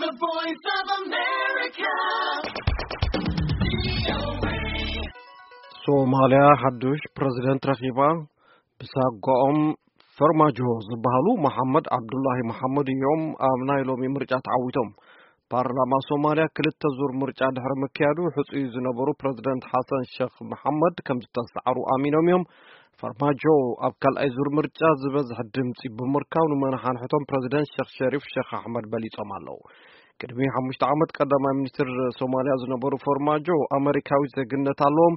The Voice of America. ሶማልያ ሓዱሽ ፕረዚደንት ረኺባ። ብሳጓኦም ፈርማጆ ዝበሃሉ መሓመድ ዓብዱላሂ መሓመድ እዮም ኣብ ናይ ሎሚ ምርጫ ተዓዊቶም። ፓርላማ ሶማልያ ክልተ ዙር ምርጫ ድሕሪ ምክያዱ፣ ሕጹይ ዝነበሩ ፕረዚደንት ሓሰን ሸኽ መሓመድ ከም ዝተሰዓሩ ኣሚኖም እዮም። ፈርማጆ ኣብ ካልኣይ ዙር ምርጫ ዝበዝሕ ድምጺ ብምርካብ፣ ንመነሓንሕቶም ፕረዚደንት ሸኽ ሸሪፍ ሸኽ ኣሕመድ በሊጾም ኣለዉ። ቅድሚ ሓሙሽተ ዓመት ቀዳማይ ሚኒስትር ሶማልያ ዝነበሩ ፈርማጆ ኣመሪካዊ ዜግነት ኣለዎም።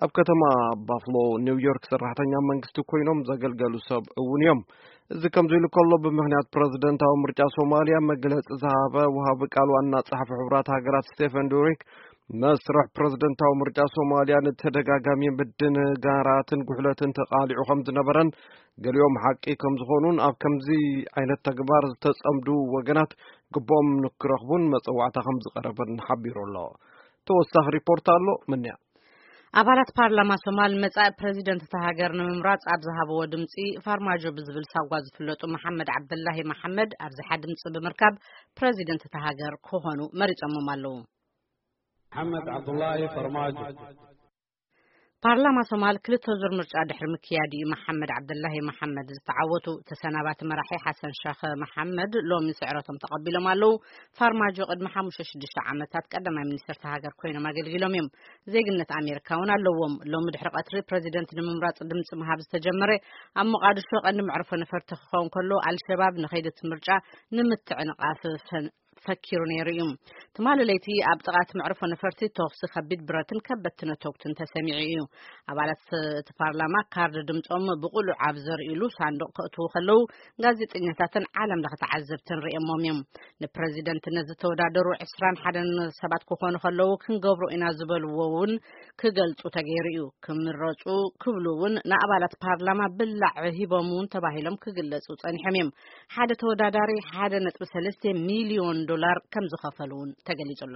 ኣብ ከተማ ባፍሎ ኒውዮርክ ሰራሕተኛ መንግስቲ ኮይኖም ዘገልገሉ ሰብ እውን እዮም። እዚ ከምዚ ኢሉ ከሎ፣ ብምኽንያት ፕረዚደንታዊ ምርጫ ሶማልያ መግለጺ ዝሃበ ወሃቢ ቃል ዋና ጸሓፊ ሕቡራት ሃገራት ስቴፈን ዱሪክ፣ መስርሕ ፕረዚደንታዊ ምርጫ ሶማልያ ንተደጋጋሚ ምድንጋራትን ጉሕለትን ተቓሊዑ ከም ዝነበረን፣ ገሊኦም ሓቂ ከም ዝኾኑን፣ ኣብ ከምዚ ዓይነት ተግባር ዝተጸምዱ ወገናት ግቦም ንክረኽቡን መጸዋዕታ ከም ዝቐረበን ሓቢሩ ኣሎ። ተወሳኺ ሪፖርት ኣሎ። ምንያ ኣባላት ፓርላማ ሶማል መጻኢ ፕረዚደንት እታ ሃገር ንምምራጽ ኣብ ዝሃብዎ ድምጺ፣ ፋርማጆ ብዝብል ሳጓ ዝፍለጡ መሓመድ ዓብደላሂ መሓመድ ኣብዝሓ ድምጺ ብምርካብ ፕረዚደንት እታ ሃገር ክኾኑ መሪጾሞም ኣለዉ። መሓመድ ዓብዱላሂ ፈርማጆ። ፓርላማ ሶማል ክልተ ዙር ምርጫ ድሕሪ ምክያድ እዩ መሓመድ ዓብደላሂ መሓመድ ዝተዓወቱ። ተሰናባቲ መራሒ ሓሰን ሸኽ መሓመድ ሎሚ ስዕረቶም ተቐቢሎም ኣለዉ። ፋርማጆ ቅድሚ ሓሙሽተ ሽዱሽተ ዓመታት ቀዳማይ ሚኒስትር እታ ሃገር ኮይኖም ኣገልጊሎም እዮም። ዜግነት ኣሜሪካ እውን ኣለዎም። ሎሚ ድሕሪ ቀትሪ ፕረዚደንት ንምምራጽ ድምፂ ምሃብ ዝተጀመረ ኣብ ሞቓድሾ ቀንዲ መዕርፎ ነፈርቲ ክኸውን ከሎ፣ ኣልሸባብ ንኸይዲ እቲ ምርጫ ንምትዕንቓፍ ፈን- ፈኪሩ ነይሩ እዩ። ትማሊ ለይቲ ኣብ ጥቓ እቲ መዕርፎ ነፈርቲ ተኹሲ ከቢድ ብረትን ከበድቲ ነተጉትን ተሰሚዑ እዩ። ኣባላት እቲ ፓርላማ ካርድ ድምፆም ብቕሉዕ ኣብ ዘርእሉ ሳንዱቕ ከእትዉ ከለዉ፣ ጋዜጠኛታትን ዓለም ለኸ ተዓዘብትን ርእየሞም እዮም። ንፕረዚደንትነት ዝተወዳደሩ ዕስራን ሓደን ሰባት ክኾኑ ከለዉ ክንገብሮ ኢና ዝበልዎ እውን ክገልፁ ተገይሩ እዩ። ክምረፁ ክብሉ እውን ንኣባላት ፓርላማ ብላዕ ሂቦም እውን ተባሂሎም ክግለፁ ፀኒሖም እዮም። ሓደ ተወዳዳሪ ሓደ ነጥቢ ሰለስተ ሚልዮን ዶላር ከም ዝኸፈሉ እውን ተገሊፁ ኣሎ።